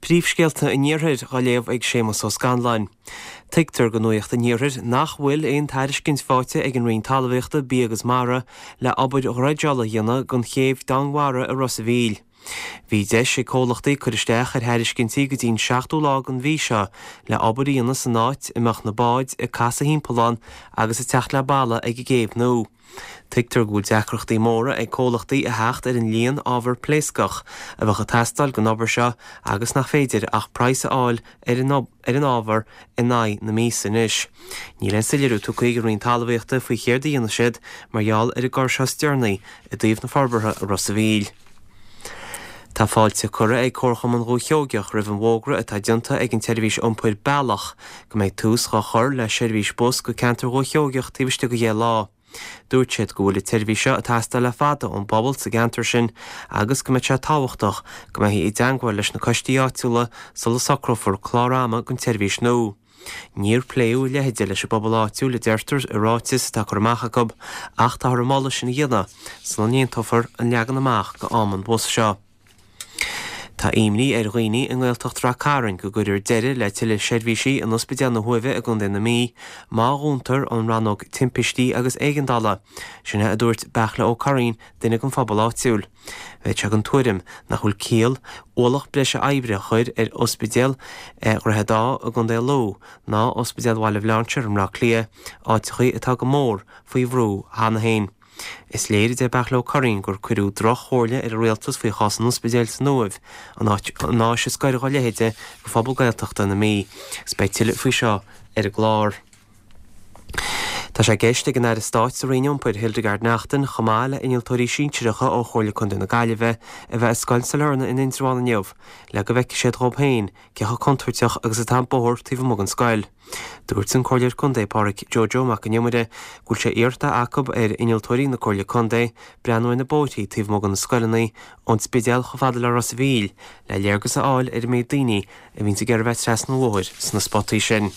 Príomhscéalta an Iarthair á léamh ag Séamus Ó Scanláin. Tuigtear do Nuacht an Iarthair nach bhfuil aon tairiscint faighte ag an Roinn Talmhaíochta, Bia agus Mara le obair dhreideála a dhéanamh don chéibh Domhainmhara i Ros a' Mhíl. Bhí deis ag comhlachtaí cur isteach ar thairiscintí go dtí an seachtú lá den mhí seo le obair a dhéanamh san áit a mbeadh na báid ag casadh thimpeall ann agus ag teacht le balla ag an gcéibh nua. Tuigtear go bhfuil deacrachtaí móra ag comhlachtaí a theacht ar an líon ábhar pléascach a bheadh ag teastáil don obair seo agus nach féidir ach praghas a fháil ar an ábhar in aghaidh na míosa anois. Níl aon soiléiriú tugtha ag an Roinn Talmhaíochta faoi chéard a dhéanfaidh siad mar gheall ar an gcor seo is deireanaí i dtaobh na forbartha i Ros a' Mhíl. Tá fáilte curtha ag Comharchumann Dhúiche Sheoigeach roimh an bhfógra atá déanta ag an tseirbhís iompair Bealach go mbeidh tús dhá chur le seirbhís bus go ceantar Dhúiche Sheoigeach taobh istigh de dheich lá. Dúirt siad go bhfuil an tseirbhís seo ag teastáil le fada ón bpobal sa gceantar sin agus go mbeidh sé tábhachtach go mbeifí i dteangmháil leis na coistí áitiúla sula socrófar clár ama don tseirbhís nua. Níor pléadh a leithide leis an bpobal áitiúil, a deirtear i ráiteas atá curtha amach acu, ach táthar an moladh sin a dhéanamh sula n-aontófar an leagan amach do am an bhus seo. Tá imní ar dhaoine i nGaeltacht Rath Cairn go gcuirfear deireadh le tuilleadh seirbhísí in Ospidéal na hUaimhe i gContae na Mí má dhúntar an rannóg timpistí agus éigeandála. Sin é a dúirt Beartla Ó Curraoin, duine den phobal áitiúil. Bheadh sé den tuairim nach bhfuil ciall ualach breise oibre a chur ar Ospidéal Dhroichead Átha i gContae Lú ná Ospidéal Bhaile Bhlainséir i mBleá Cliath, áiteachaí atá go mór faoi bhrú cheana féin. Is léir, a deir Beartla Ó Curraoin, gur cuireadh droch-chomhairle ar an Rialtas faoi chás an ospidéil san Uaimh, an áit, an áis is gaire dá leithéide do phobal Gaeltachta na Mí. Agus beidh tuilleadh faoi seo ar an gclár. Tá sé i gceist ag an Aire Stáit sa Roinn Iompair, Hildegarde Naughton, chomh maith le innealtóirí sinsearacha ó Chomhairle Contae na Gaillimhe, a bheith i Scoil Sailearna in Indreabhán inniu le go bhfeicfidh siad dhóibh féin cé chomh contúirteach agus atá an bóthar taobh amuigh den scoil. Dúirt an Comhairleoir Contae Pádraig Joe Joe Mac an Iomaire go bhfuil sé iarrta acu ar innealtóirí na Comhairle Contae breathnú ar na bóithrí taobh amuigh de na scoileanna ón Spidéal chomh fada le Ros a' Mhíl le léargas a fháil ar an méid daoine a bhíonns ag iarraidh bheith trasna an bhóthair sna spotaí sin.